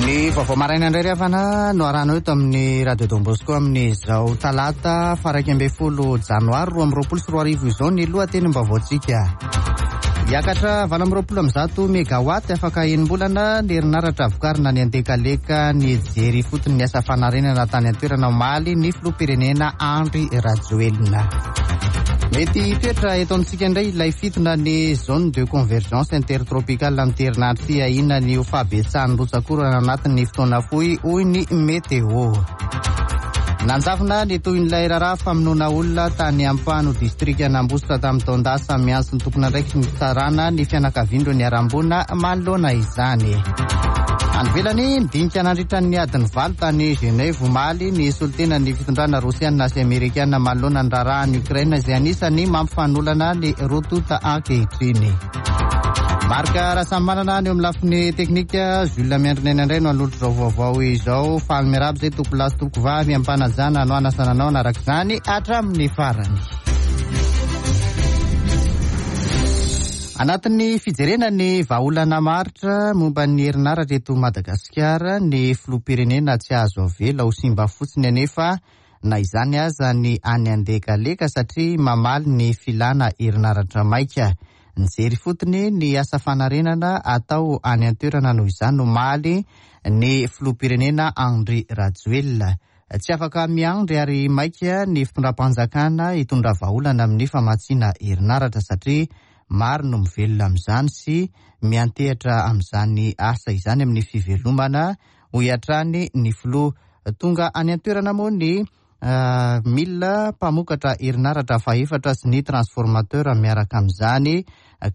Ny vaovao maraina indray ry havana no arahanao eto amin'ny Radio Don Bosco amin'izao talata faha 11 janoary 2022 izao ny lohatenim-baovaontsika. Hiakatra 128 megawatt afaka enim-bolana ny herinaratra vokarina any Andekaleka nijery ifotony ny asa fanarenana tany an-toerana omaly ny filoham-pirenena Andry Rajoelina. Mety hitoetra eto amintsika indray ilay fitona ny zone de convergence intertropicale amin'ity herinandro ity ahiana ny ho fahabetsahan'ny rotsak'orana anatin'ny fotoana fohy hoy ny météo. Nanjavona ny tohin'ilay raharaha famonoana olona tany Ampano, distrikan'Ambositra tamin'ny taon-dasa. Miantso ny tompon'andraikitry ny fitsarana ny fianakavian'ireo niharam-boina manoloana izany. Any ivelany, nidinika nandritra ny adiny valo tany Genève omaly ny solontenan'ny fitondrana rosiana sy amerikana manoloana ny raharahan'i Ukraine izay anisan'ny mampifanolana ny roa tonta ankehitriny. Marc Rasamimanana ny eo amin'ny lafiny teknika, Jules Miandrinena indray no hanolotra izao vaovao izao. Faly miarahaba izay tompolahy sy tompokovavy am-panajana no hanasana anao hanaraka izany hatramin'ny farany. Anatin'ny fijerena ny vahaolana maharitra momba ny herinaratra eto Madagasikara, ny filoham-pirenena tsy azo avela ho simba fotsiny anefa na izany aza ny any Andekaleka satria mamaly ny filana herinaratra maika. Nijery ifotony ny asa fanarenana atao any an-toerana noho izany omaly ny filoham-pirenena Andry Rajoelina. Tsy afaka miandry ary maika ny fitondram-panjakana hitondra vahaolana amin'ny famatsiana herinaratra satria maro no mivelona amin'izany sy miantehatra amin'izany asa izany amin'ny fivelomana, hoy hatrany ny filoha. Tonga any an-toerana moa ny milina mpamokatra herinaratra fahefatra sy ny transformateur miaraka amin'izany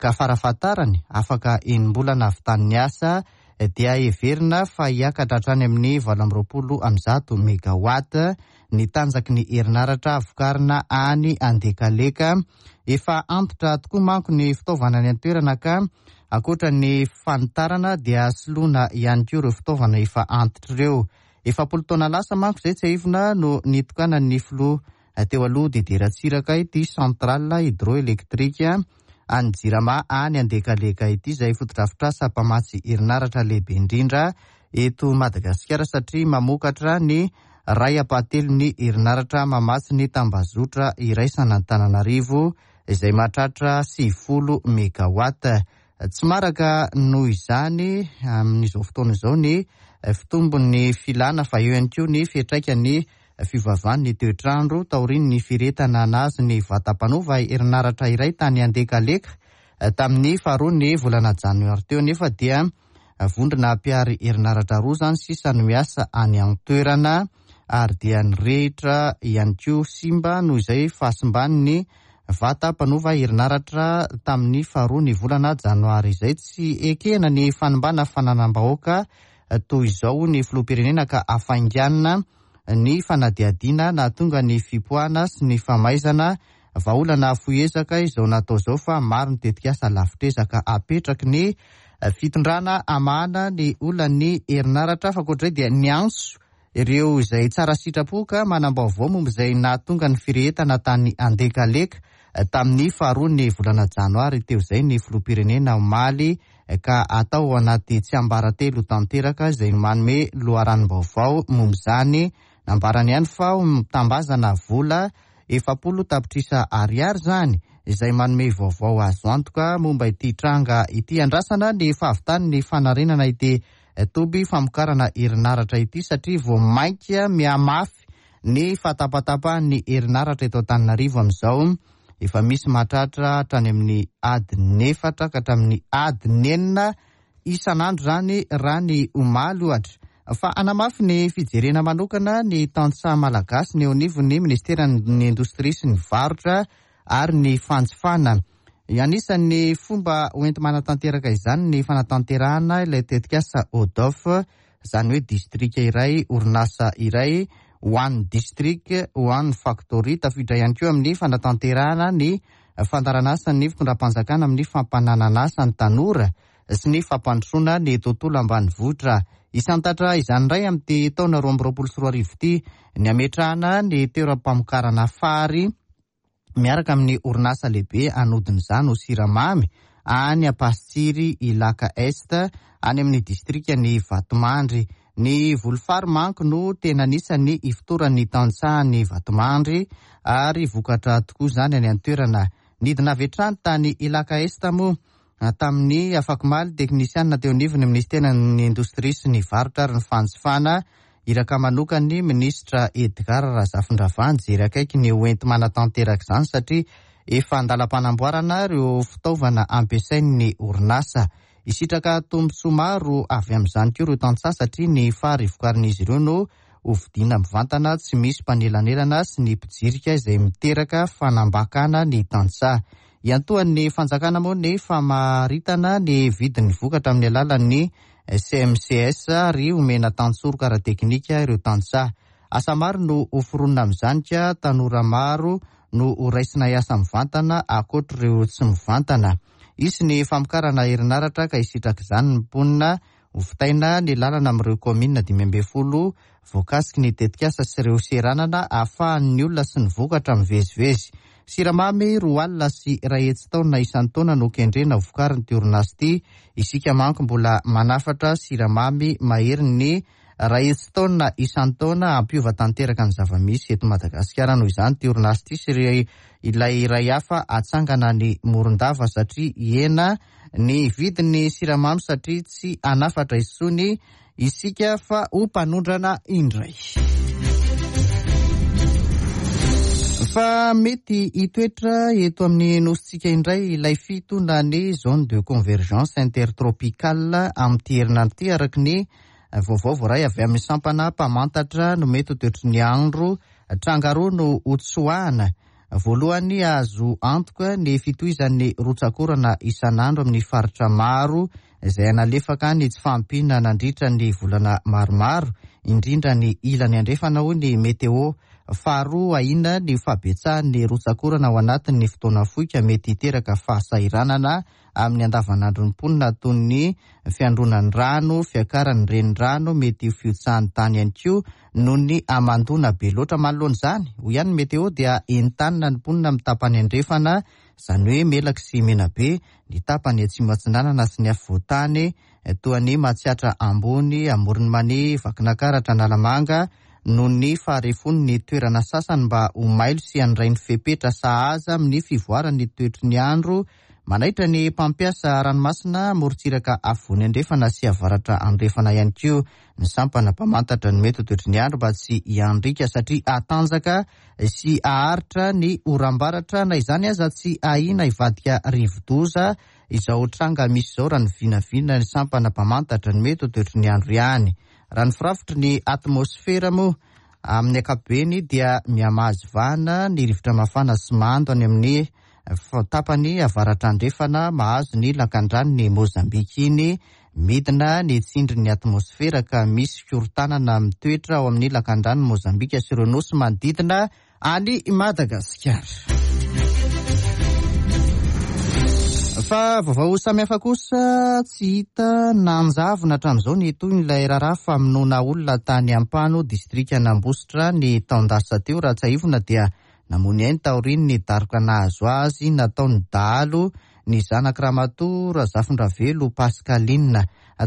ka farafahatarany afaka enim-bolana havitan'ny asa dia heverina fa hiakatra hatrany amin'ny 128 megawatt ny tanjaky ny herinaratra vokarina any Andekaleka. Efa antitra tokoa manko ny fitaovana any an-toerana ka ankoatra ny fanitarana dia soloina ihany koa ireo fitaovana efa antitra ireo. 40 taona lasa manko izay tsiahivina no nitokanan'ny filoha teo aloha Didier Ratsiraka ity centrale hydroélectrique an'ny Jirama any Andekaleka ity izay fotodrafitrasa mpamatsy herinaratra lehibe indrindra eto Madagasikara satria mamokatra ny iray ampahatelon'ny herinaratra mamatsy ny tambazotra iraisan'Antananarivo izay mahatratra 90 megawatt. Tsy maraka noho izany amin'izao fotoana izao ny fitombon'ny filana fa eo ihany koa ny fiantraikan'ny fiovaovan'ny toetr'andro taorian'ny firehetana nahazo ny vatam-panova herinaratra iray tany Andekaleka tamin'ny faharoan'ny volana janoary teo anefa dia vondrona mpihary herinaratra roa izany sisa no miasa any an-toerana ary dia nirehitra ihany koa simba noho izay fahasimban'ny vata mpanova herinaratra tamin'ny faharoa ny volana janoary izay. Tsy ekena ny fanimbana fananam-bahoaka toy izao ny filoham-pirenena ka hafainganina ny fanadihadiana nahatonga ny fipoahana sy ny famaizana. Vahaolana fohy ezaka izao natao izao fa maro ny tetikasa lavitr'ezaka apetraky ny fitondrana hamahana ny olan'ny herinaratra. Fa ankoatra izay dia niantso ireo izay tsara sitrapo ka manam-baovao momba izay nahatonga ny firehetana tany Andekaleka tamin'ny faharoan'ny volana janoary teo izay ny filoham-pirenena omaly ka atao ao anaty tsiambaratelo tanteraka izay manome loharanom-baovao momba izany. Nambarany ihany fa mitambazana vola 40 tapitrisa ariary izany izay manome vaovao azo antoka momba ity tranga ity. Andrasana ny fahavitan'ny fanarenana ity toby famokarana herinaratra ity satria vao mainka mihamafy ny fahatapatapahan'ny herinaratra eto Antananarivo amin'izao. Efa misy mahatratra hatrany amin'ny adiny efatra ka hatramin'ny adiny enina isan'andro izany raha ny omaly ohatra. Fa hanamafy ny fijerena manokana ny tantsaha malagasy ny eo anivon'ny minisiteran'ny indostria sy ny varotra ary ny fanjifana. Anisan'ny fomba hoenti-manatanteraka izany ny fanatanterahana ilay tetikasa ODOF, izany hoe distrika iray, orinasa iray, One District, One Factory. Tafiditra ihany koa amin'ny fanatanterahana ny fandaharanasan'ny fitondram-panjakana amin'ny fampananan'asa ny tanora sy ny fampandrosoana ny tontolo ambanivohitra. Hisantatra izany indray amin'ity taona 2022 ity ny hametrahana ny toeram-pamokarana fary miaraka amin'ny orinasa lehibe hanodina izany ho siramamy. any Ampasitsiry Ilaka Est, any amin'ny distrikan'i Vatomandry. Ny voly fary manko no tena anisan'ny ifotoran'ny tantsahan'i Vatomandry ary vokatra tokoa izany any an-toerana. Nidina avy hatrany tany Ilaka Est moa tamin'ny afakomaly teknisianina teo anivon'ny minisiteran'ny Indostria sy ny Varotra ary ny Fanjifana, iraka manokan'ny minisitra Edgard Razafindravahy nijery akaiky ny ho enti-manatanteraka izany satria efa an-dalam-panamboarana ireo fitaovana ampiasain'ny orinasa. Hisitraka tombontsoa maro avy amin'izany koa ireo tantsaha satria ny fary vokarin'izy ireo no hovidiana mivantana tsy misy mpanelanelana sy ny mpijirika izay miteraka fanambakana ny tantsaha. Iantohan'ny fanjakana moa ny famaritana ny vidin'ny vokatra amin'ny alalan'ny CMCS ary omena tantsoroka ara-teknika ireo tantsaha. Asa maro no hoforonina amin'izany ka tanora maro no horaisina hiasa mivantana ankoatr'ireo tsy mivantana. Hisy ny famokarana herinaratra ka hisitraka izany ny mponina. Hovitaina ny lalana amin'ireo kaominina 15 voakasiky ny tetikasa sy ireo seranana ahafahan'ny olona sy ny vokatra mivezivezy. Siramamy 102 taonina isan-taona no kendrena hovokarin'ity orinasa ity. Isika manko mbola manafatra siramamy maherin'ny 100 taonina isan-taona hampiova tanteraka ny zava-misy eto Madagasikara noho izany ity orinasa ity sy ilay iray hafa hatsangana any Morondava satria hihena ny vidin'ny siramamy satria tsy hanafatra intsony isika fa ho mpanondrana indray. Fa mety hitoetra eto amin'ny nosintsika indray ilay fito na ny zone de convergence intertropicale amin'ity herinandro ity araka ny vaovao voaray avy amin'ny sampana mpamantatra no mety ho toetry ny andro. Tranga roa no hotsoahana. Voalohany, azo antoka ny fitohizan'ny rotsak'orana isan'andro amin'ny faritra maro izay hanalefaka ny tsy fahampiana nandritra ny volana maromaro, indrindra ny ilany andrefana, hoy ny Météo. Faharoa, ahiana ny fahabetsahan'ny rotsak'orana ao anatin'ny fotoana fohy ka mety hiteraka fahasahiranana amin'ny andavanandron'ny mponina toy ny fiandronan'ny rano, fiakaran'ny renirano, mety ho fihotsahan'ny tany ihany koa noho ny hamandoana be loatra. Manoloana izany, hoy ihany ny Météo, dia entanina ny mponina amin'ny tapany andrefana, izany hoe Melaky sy Menabe, ny tapany atsimo atsinanana sy ny afovoan-tany toa an'i Matsiatra Ambony, Amoron'i Mania, Vakinakaratra, Analamanga, noho ny faharefon'ny toerana sasany mba ho mailo sy handray ny fepetra sahaza amin'ny fivoaran'ny toetry ny andro. Manaitra ny mpampiasa ranomasina morontsiraka afovoany andrefana sy avaratra andrefana ihany koa ny sampana mpamantatra ny mety ho toetry ny andro mba tsy hiandriaka satria hatanjaka sy haharitra ny oram-baratra. Na izany aza tsy ahiana hivadika rivodoza izao tranga misy izao raha ny vinavina ny sampana mpamantatra ny mety ho toetry ny andro ihany. Raha ny firafitry ny atmosfera moa amin'ny ankapobeny dia mihamahazo vahana ny rivotra mafana sy mando any amin'ny Tapany avaratra andrefana mahazo ny lakandranon'i Mozambika iny, midina ny tsindrin'ny atmosfera ka misy fikorontanana mitoetra ao amin'ny lakandranon'i Mozambika sy ireo nosy manodidina an'i Madagasikara. Fa vaovao samihafa kosa tsy hita nanjavona hatramin'izao ny tohin'ilay raharaha famonoana olona tany Ampano, distrikan'Ambositra ny taon-dasa teo. Raha tsiahivina dia Namoy ny ainy taorian'ny daroka nahazo azy nataon'ny dahalo ny zanak'i Ramatoa Razafindravelo Pascaline.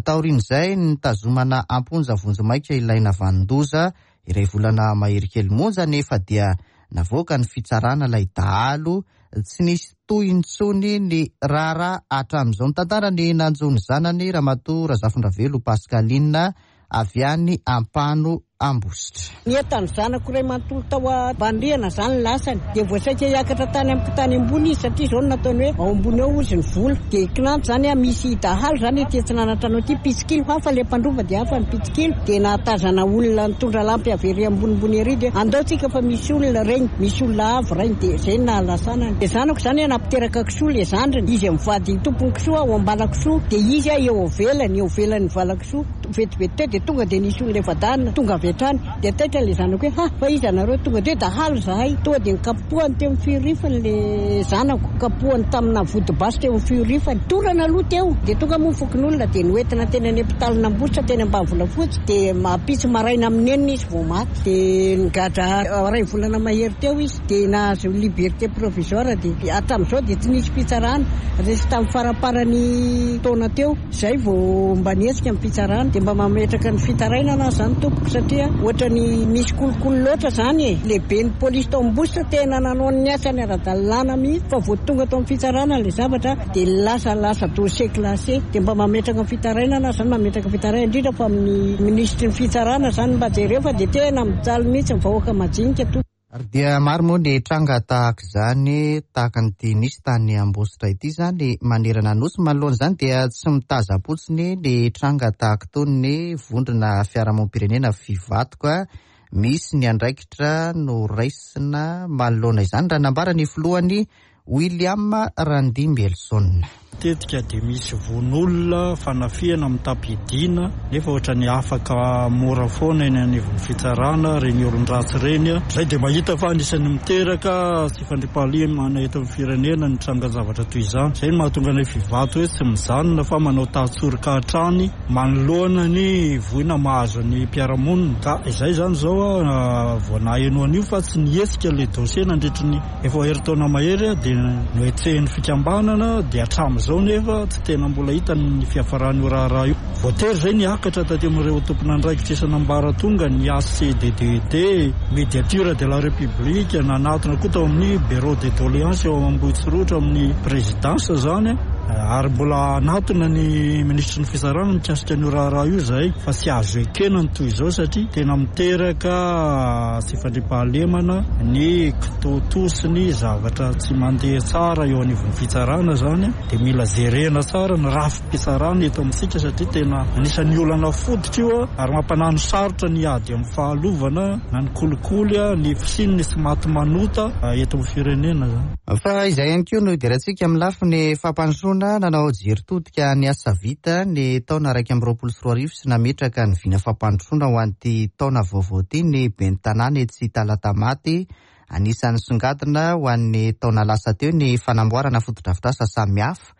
Taorian'izay, nitazomana am-ponja vonjimaika ilay navanon-doza. Iray volana mahery kely monja anefa dia navoaka ny fitsarana ilay dahalo. Tsy nisy tohiny intsony ny raharaha hatramin'izao. Nitantara ny nanjo ny zanany Ramatoa Razafindravelo Pascaline. avy any Ampano Ambositra. Ny entan'ny zanako iray manontolo tao ambany-rihana izany lasany. Dia vao saika hiakatra tany amiko tany ambony izy satria izao no nataony hoe ao ambony ao hozy ny vola. Dia kinanjo izany aho misy dahalo izany ety atsinanantrano aty, mpitsikilo hafa ilay mpandroba dia hafa ny mpitsikilo. Dia nahatazana olona nitondra lampy avy ery ambonimbony ery dia andao tsika fa misy olona regny, misy olona avo regny. Dia izay no nahalasanany. Dia zanako izany nampiteraka kisoa ilay zandriny, izy mivady tompon'ny kisoa ao ambalakisoa dia izy eo ivelany, eo ivelan'ny valakisoa. Vetivety teo dia tonga dia nisy olona efa-dahy tonga avy hatrany. Dia taitra ilay zanako hoe ha! Fa iza nareo? Tonga dia hoe dahalo izahay. Tonga dia nokapohany teo amin'ny fiorifany ilay zanako. Kapohany tamina vody basy teo amin'ny fiorifany. Torana aloha teo. Dia tonga moa ny fokonolona dia noentina teny any hopitalin'Ambositra teny Ambanivolafotsy. Dia mampitsy maraina amin'ny enina izy vao maty. Dia nigadra iray volana mahery teo izy. Dia nahazo liberté provisoire dia hatramin'izao dia tsy nisy fitsarana. Resy tamin'ny faramparan'ny taona teo. Izay vao mba nihetsika ny fitsarana. Dia mba mametraka ny fitarainana aho izany tompoko satria ohatrany misy kolikoly loatra izany e. Lehiben'ny polisy tao Ambositra tena nanao ny asany ara-dalàna mihitsy fa vao tonga tao amin'ny fitsarana ilay zavatra dia lasa lasa dossier classé. Dia mba mametraka ny fitarainana aho izany, mametraka fitarainana indrindra fa amin'ny minisitry ny fitsarana izany mba jereo fa dia tena mijaly mihitsy ny vahoaka majinika tompoko. Ary dia maro moa ny tranga tahaka izany, tahaka an'ity nisy tany Ambositra ity izany manerana ny Nosy. Manoloana izany dia tsy mitazam-potsiny ny tranga tahaka itony ny vondrona fiarahamonim-pirenena Fivatoka. Misy ny andraikitra noraisina manoloana izany raha nambara ny filohany William Randimbielson. Matetika dia misy vono olona, fanafihana mitam-piadiana, nefa ohatran'ny afaka mora foana eny anivon'ny fitsarana ireny olon-dratsy ireny. Izay dia mahita fa anisan'ny miteraka tsy fandriampahalemana eto amin'ny firenena ny trangan-javatra toy izany. Izay no mahatonga anay Fivato hoe tsy mijanona fa manao tahatsoroka hatrany manoloana ny voina mahazo ny mpiara-monina. Ka izay izany izao vao naheno an'io fa tsy nihetsika ilay dossier nandritry ny Efa ho herintaona mahery dia nohetsehin'ny fikambanana dia hatramin'izao nefa tsy tena mbola hita ny fiafaran'io raharaha io. Voatery izay niakatra taty amin'ireo tompon'andraikitra isan'ambaratonga ny HCDDED, Médiature de la République, nanatona koa tao amin'ny Bureau des doléances eo Ambohitsorohitra amin'ny Présidence izany ary mbola hanatona ny minisitry ny Fitsarana mikasika an'io raharaha io izahay fa tsy azo ekena ny toy izao satria tena miteraka tsy fandriampahalemana ny kitoatoa sy ny zavatra tsy mandeha tsara eo anivon'ny fitsarana izany dia mila jerena tsara ny rafi-pitsarana eto amintsika satria tena anisan'ny olana fototra io ary mampanano sarotra ny ady amin'ny fahalovana na ny kolikoly, ny fisian'ny tsy maty manota eto amin'ny firenena izany. Fa izay ihany koa no hidirantsika amin'ny lafiny fampandrosoana, nanao jery todika ny asa vita ny taona 2021 sy nametraka ny vina fampandrosoana ho an'ity taona vaovao ity ny ben'ny tanàna etsy Talatamaty. Anisan'ny songadina ho an'ny taona lasa teo ny fanamboarana fotodrafitrasa samihafa,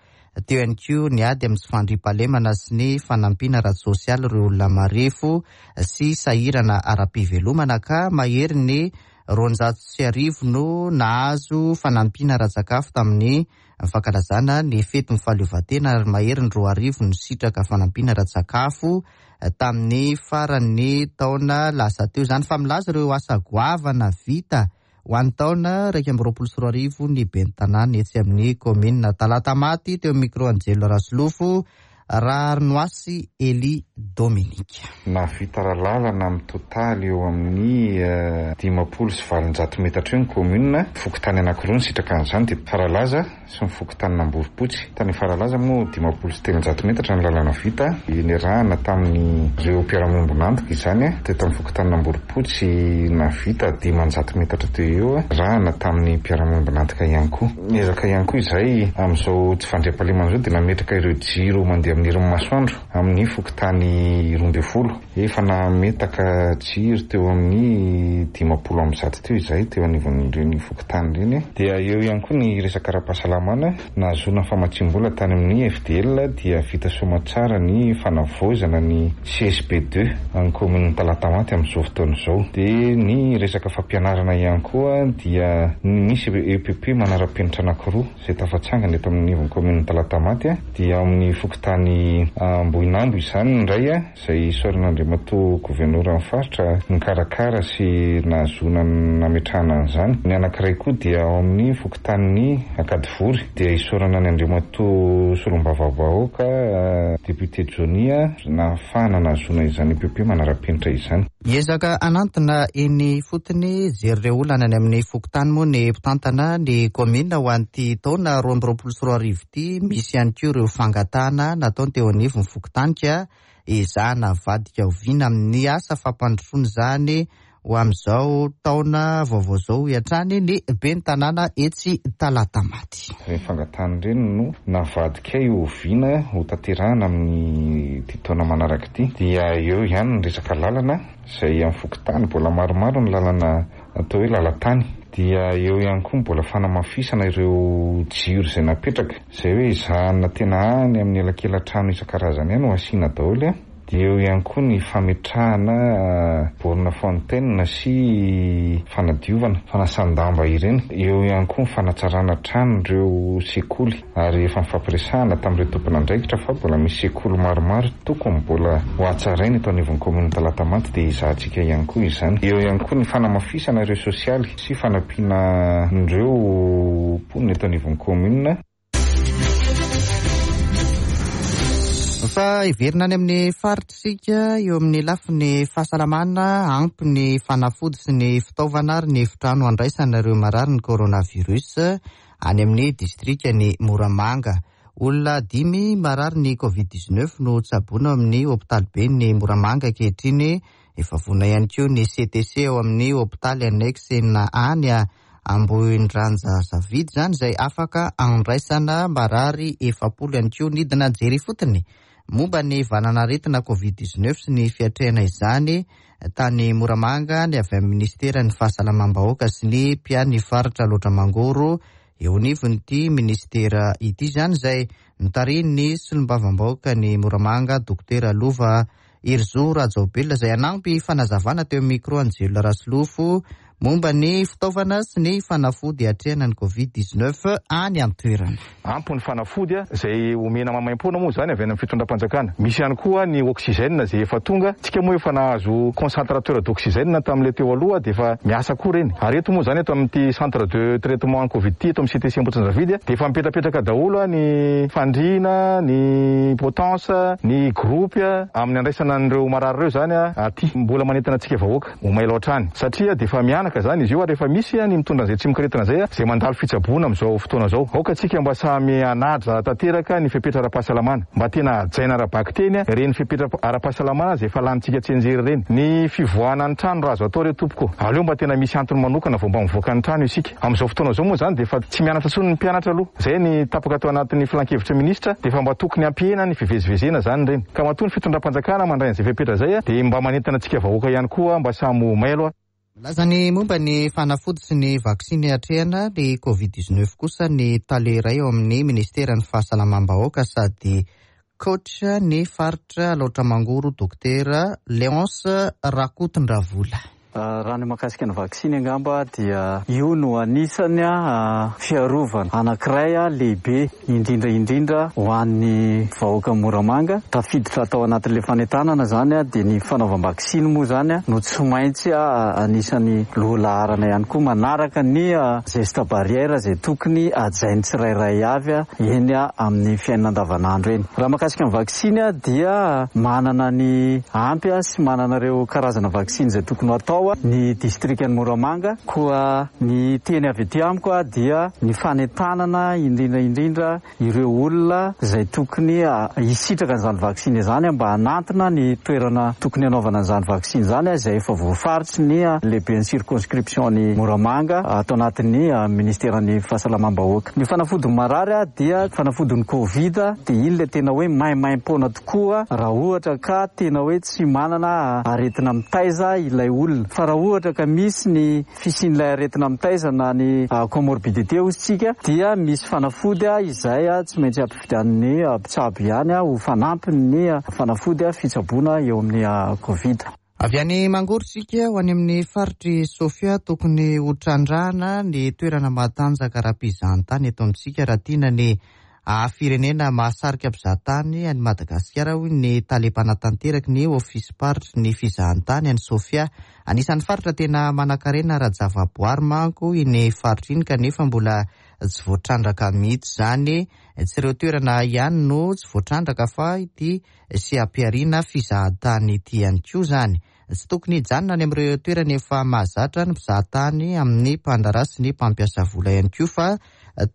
teo ihany koa ny ady amin'ny tsy fandriampahalemana sy ny fanampiana ara-tsosialy ireo olona marefo sy sahirana ara-pivelomana ka mahery ny 1200 no nahazo fanampiana ara-tsakafo tamin'ny fankalazana ny fetin'ny fahaleovantena ary mahery ny 2000 nisitraka fanampiana ara-tsakafo tamin'ny faran'ny taona lasa teo izany fa milaza ireo asa goavana vita ho an'ny taona 2021 ny ben'ny tanàna etsy amin'ny kaominina Talatamaty teo amin'ny micro Angelo Rasolofo Raharinoasy Elie Dominique. Nahavita lalana amin'ny totaly eo amin'ny 850 metatra eo ny kaominina. Fokontany anankiroa nisitraka an'izany dia Faralaza sy ny fokontanin'Amboropotsy. Tany Faralaza moa 350 metatra ny lalana vita, niarahana tamin'ireo mpiara-miombon'antoka izany. Teto amin'ny fokontanin'Amboropotsy nahavita 500 metatra teo eo, niarahana tamin'ny mpiara-miombon'antoka ihany koa. Niezaka ihany koa izahay amin'izao tsy fandriampahalemana izao dia nametraka ireo jiro mandeha amin'ny herin'ny masoandro amin'ny fokontany 12. Efa nametaka jiro teo amin'ny 150 teo izahay teo anivon'ireny fokontany ireny. Dia eo ihany koa ny resaka ara-pahasalamana, nahazoana famatsiam-bola tany amin'ny FDL dia vita soamantsara ny fanavaozana ny CSB deux any kaominin'i Talatamaty amin'izao fotoana izao. Dia ny resaka fampianarana ihany koa dia misy EPP manara-penitra anankiroa izay tafatsangana eto amin'ny anivon'ny kaominin'i Talatamaty dia ao amin'ny fokontany Ambohinambo izany ny iray izay isaorana Andriamatoa Governoran'ny Faritra nikarakara sy nahazoana nametrahana an'izany. Ny anankiray koa dia ao amin'ny fokontanin'i Ankadivory dia isaorana an'i Andriamatoa Solombavambahoaka Député Johnny nahafahana nahazoana izany EPP manara-penitra izany. Hiezaka hanantona eny ifotony hijery ireo olana any amin'ny fokontany moa ny mpitantana ny kaominina ho an'ity taona 2022 ity. Misy ihany koa ireo fangatahana nataony teo anivon'ny fokontany ka ezahana avadika ho vina amin'ny asa fampandrosoana izany. ho amin'izao taona vaovao izao, hoy hatrany ny ben'ny tanàna etsy Talatamaty. Ireny fangatahana ireny no navadikay ho vina ho tanterahana amin'ity taona manaraka ity. Dia eo ihany ny resaka lalana izay amin'ny fokontany, mbola maromaro ny lalana atao hoe lalan-tany. Dia eo ihany koa ny mbola fanamafisana ireo jiro izay napetraka, izay hoe ezahana tena any amin'ny elakelan-trano isan-karazany any ho asiana daholo. Dia eo ihany koa ny fametrahana borne fontaine sy fanadiovana, fanasan-damba ireny. Eo ihany koa ny fanatsarana hatrany ireo sekoly ary efa nifampiresahana tamin'ireo tompon'andraikitra fa mbola misy sekoly maromaro tokony mbola ho hatsaraina eto anivon'ny kaominina Talatamaty dia ezahantsika ihany koa izany. Eo ihany koa ny fanamafisana ireo sosialy sy fanampiana an'ireo mponina eto anivon'ny kaominina. Fa hiverina any amin'ny faritra isika, eo amin'ny lafiny fahasalamana, ampy ny fanafody sy ny fitaovana ary ny efitrano handraisana ireo marary ny coronavirus any amin'ny distrikan'i Moramanga. Olona dimy marary ny Covid 19 no tsaboina ao amin'ny hopitaliben'i Moramanga ankehitriny. Efa vonona ihany koa ny CTC ao amin'ny hopitaly annexe enina any Ambohindranja Zavidy izany izay afaka andraisana marary 40 ihany koa. Nidina nijery ifotony momba ny valan'aretina Covid 19 sy ny fiatrehana izany tany Moramanga ny avy amin'ny minisiteran'ny Fahasalamam-bahoaka sy ny mpiahy ny faritra Alaotra Mangoro eo anivon'ity minisitera ity izany izay notarihin'ny solombavambahoaka ny Moramanga Dokotera Lova Herizo Rajaobelina izay hanampy fanazavana teo amin'ny micro an'i Jelona Rasolofo momba ny fitaovana sy ny fanafody hiatrehana ny Covid 19 any an-toerana. Ampy ny fanafody izay omena maimaimpoana moa izany avy any amin'ny fitondram-panjakana. Misy ihany koa ny oxygène izay efa tonga. Tsika moa efa nahazo concentrateur d'oxygène tamin'ilay teo aloha dia efa miasa koa ireny. Ary eto moa izany eto amin'ity centre de traitement covid ity eto amin'ny CTC Ambohitrimanjavidy dia efa mipetrapetraka daholo ny fandriana, ny potence, ny groupe amin'ny andraisana an'ireo marary ireo izany aty. Mbola manentana antsika vahoaka ho mailo hatrany satria dia efa mihanaka izany izy io ary efa misy ny mitondra an'izay tsimokaretina izay izay mandalo fitsaboana amin'izao fotoana izao. Aoka antsika mba samy hanaja tanteraka ny fepetra ara-pahasalamana. Mba tena hajaina ara-bakiteny ireny fepetra ara-pahasalamana izay efa lanintsika tsianjery ireny. Ny fivoahana ny trano raha azo atao re tompoko, aleo mba tena misy antony manokana vao mba mivoaka ny trano isika. Amin'izao fotoana izao moa izany dia efa tsy mianatra intsony ny mpianatra aloha. Izay ny tapaka tao anatin'ny filankevitry ny minisitra dia efa mba tokony hampihena ny fivezivezena izany ireny. Ka matoa ny fitondram-panjakana mandray an'izay fepetra izay dia mba manentana antsika vahoaka ihany koa mba samy ho mailo. Milaza ny momba ny fanafody sy ny vaksiny hiatrehana ny Covid 19 kosa ny tale iray ao amin'ny minisiteran'ny fahasalamam-bahoaka sady coach ny faritra Alaotra Mangoro Dokotera Léonce Rakotondravola. Raha ny mahakasika ny vaksiny angamba dia io no anisany fiarovana anankiray lehibe indrindra indrindra ho an'ny vahoaka Moramanga. Tafiditra tao anatin'ilay fanentanana izany dia ny fanaovam-baksiny moa izany no tsy maintsy anisan'ny lohalaharana ihany koa manaraka ny geste barrière izay tokony hajain'ny tsirairay avy eny amin'ny fiainana andavanandro eny. Raha mahakasika ny vaksiny dia manana ny ampy sy manana ireo karazana vaksiny izay tokony ho atao ny distrikan'i Moramanga. Koa ny teny avy aty amiko dia ny fanentanana indrindra indrindra ireo olona izay tokony hisitraka an'izany vaksiny izany mba hanantona ny toerana tokony hanaovana an'izany vaksiny izany izay efa voafaritry ny lehiben'ny circonscription-n'i Moramanga ato anatin'ny ministeran'ny fahasalamam-bahoaka. Ny fanafodin'ny marary dia fanafodin'ny covid dia iny ilay tena hoe maimaimpoana tokoa raha ohatra ka tena hoe tsy manana aretina mitaiza ilay olona. Fa raha ohatra ka misy ny fisian'ilay aretina mitaiza na ny comorbidité hozy tsika dia misy fanafody izay tsy maintsy ampividianin'ny mpitsabo ihany ho fanampin'ny fanafody fitsaboana eo amin'ny covid. Avy any Mangoro isika ho any amin'ny faritr'i Sofia. Tokony ho trandrahana ny toerana mahatanjaka ara-pizahantany eto amintsika raha tiana ny haha-firenena mahasarika mpizahatany an'i Madagasikara, hoy ny tale mpanatanteraka ny ofisim-paritry ny fizahantany any Sofia. Anisan'ny faritra tena manankarena ara-javaboary manko iny faritra iny kanefa mbola tsy voatrandraka mihitsy izany. Tsy ireo toerana ihany no tsy voatrandraka fa ity sy hampiharina fizahantany ity ihany koa izany. Tsy tokony hijanona any amin'ireo toerana efa mahazatra ny mpizahatany amin'ny mpandraharaha sy ny mpampiasa vola ihany koa fa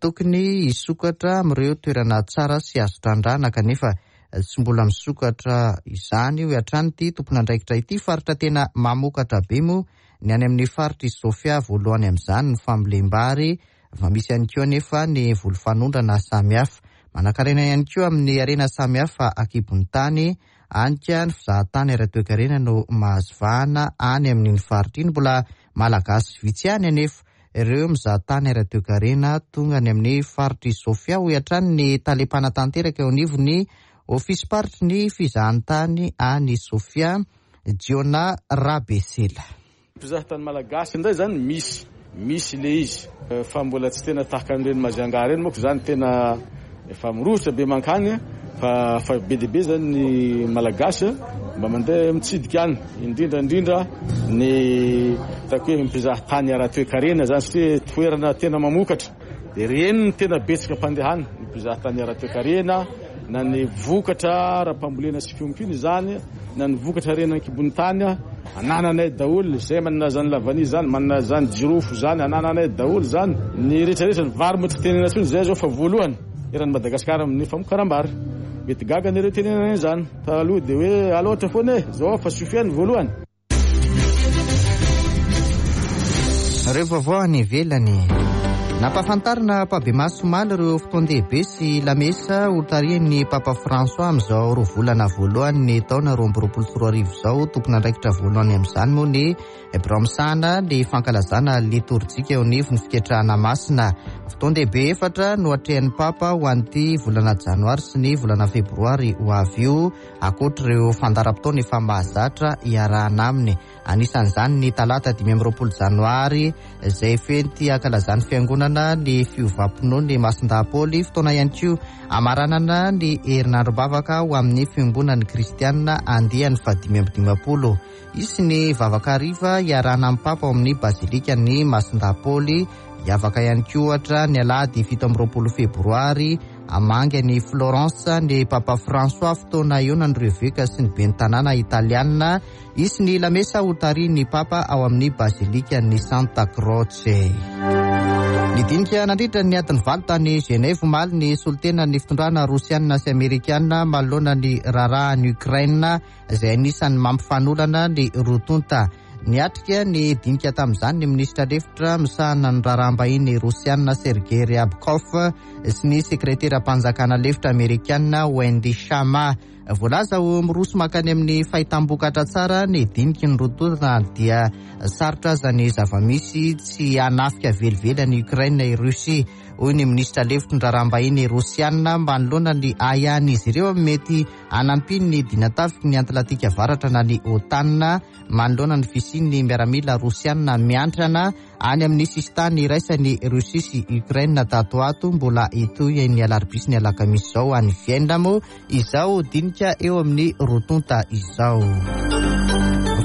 tokony hisokatra amin'ireo toerana tsara sy azo trandrahana kanefa tsy mbola misokatra izany, hoy hatrany ity tompon'andraikitra ity. Faritra tena mamokatra be moa. ny any amin'ny faritr'i Sofia, voalohany amin'izany ny fambolem-bary, fa misy ihany koa anefa ny voly fanondrana samihafa. Manankarena ihany koa amin'ny harena samihafa ankibon'ny tany, any ka ny fizahantany ara-toekarena no mahazo vahana any amin'iny faritra iny. Mbola Malagasy vitsy ihany anefa ireo mizaha tany ara-toekarena tonga any amin'ny faritr'i Sofia, hoy hatrany ny tale mpanatanteraka eo anivon'ny ofisim-paritry ny fizahantany any Sofia, Jiona Rabesela. Mpizaha tany malagasy indray zany misy, misy le izy fa mbola tsy tena tahaka an'ireny Majunga ireny manko zany tena efa mirohotra be mankany fa fa be dia be zany ny malagasy mba mandeha mitsidika any indrindra indrindra ny ataoko hoe mpizaha tany ara-toekarena zany satria toerana tena mamokatra dia ireny no tena betsaka mpandeha any ny mpizaha tany ara-toekarena na ny vokatra ara-pambolena sy fiompiana izany na ny vokatra harena an-kibon'ny tany anananay daholo izay manana izany lavania izany manana izany jirofo izany anananay daholo izany ny rehetra rehetra ny vary moa tsy tenena intsony izay zao fa voalohany eran'i Madagasikara amin'ny famokaram-bary mety gaga anareo tenenana izany taloha dia hoe aloatra foana e zao fa Sofia ny voalohany. Ireo vaovao any ivelany. Nampahafantarina ampahibemaso omaly ireo fotoan-dehibe sy lamesa hotarihin'ny Papa François amin'izao roa volana voalohan'ny taona 2022 izao. Tompon'andraikitra voalohany amin'izany moa ny birao misahana ny fankalazana litorjika eo anivon'ny fiketrahana masina. Fotoan-dehibe efatra no atrehin'ny Papa ho an'ity volana janoary sy ny volana febroary ho avy io. Ankoatra ireo fandaharam-potoana efa mahazatra iarahana aminy, anisan'izany ny talata 25 janoary izay fety ankalazan'ny fiangonana ny fiovam-pinoan'i Masindahy Paoly, fotoana ihany koa hamaranana ny herinandrom-bavaka ho amin'ny fiombonan'ny kristianina andiany faha-55. Hisy ny vavaka hariva iarahana amin'ny Papa ao amin'ny Bazilikan'i Masindahy Paoly. Hiavaka ihany koa ohatra ny alahady 27 febroary Hamangy an'i Florence ny Papa François fotoana hihaonan'ireo eveka sy ny ben'ny tanàna italiana. Hisy ny lamesa hotarihin'ny Papa ao amin'ny Bazilikan'ny Santa Croce. Nidinika nandritra ny adiny valo tany Genève omaly ny solontenan'ny fitondrana rosiana sy amerikana manoloana ny raharahan'i Ukraine izay anisan'ny mampifanolana ny roa tonta. Niatrika ny dinika tamin'izany ny minisitra lefitra misahana ny raharaham-bahiny rosiana Sergei Ryabkov sy ny sekreteram-panjakana lefitra amerikana Wendy Shama. Voalaza ho miroso mankany amin'ny fahitam-bokatra tsara ny diniky ny roa tonta na dia sarotra aza ny zava-misy tsy hanafika velively an'i Ukraine i Russie, hoy ny minisitra lefitry ny raharaham-bahiny rosiana manoloana ny ahiahin'izy ireo amin'ny mety hanampian'ny dinatafiky ny Atlantika Avaratra na ny OTAN manoloana ny fisian'ny miaramila rosiana miantrana any amin'ny sisintany iraisan'i Russie sy Ukraine tato ho ato. Mbola hitohy ny alarobia sy ny alakamisy izao any Vienne moa izao dinika eo amin'ny roa tonta izao.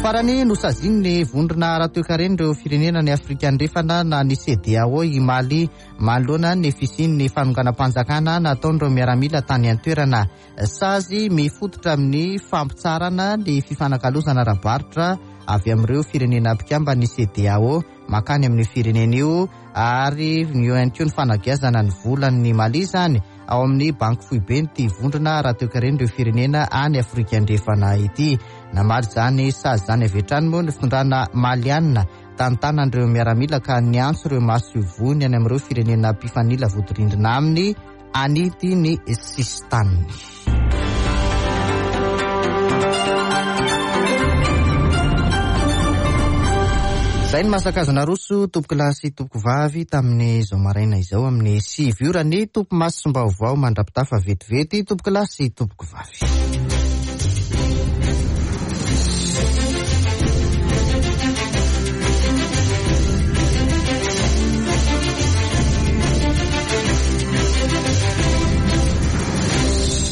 Farany, nosazian'ny vondrona ara-toekaren'ireo firenena any Afrika Andrefana na ny CEDEAO i Mali manoloana ny fisian'ny fanonganam-panjakana nataon'ireo miaramila tany an-toerana. Sazy mifototra amin'ny fampitsaharana ny fifanakalozana ara-barotra avy amin'ireo firenena mpikamban'ny CEDEAO mankany amin'io firenena io ary eo ihany koa ny fanagiazana ny volan'ny Mali izany ao amin'ny banky foiben'ity vondrona ara-toekaren'ireo firenena any Afrika Andrefana ity. Namaly izany sazy izany avy hatrany moa ny fitondrana maliana tantanan'ireo miaramila ka niantso ireo masoivohony any amin'ireo firenena mpifanila vodirindrina aminy Anity ny sisintaniny. Izay ny masaka azo naroso tompokolahy sy tompokovavy tamin'izao maraina izao amin'ny sivy ora ny topimasom-baovao mandra-pitafa vetivety tompokolahy sy tompokovavy.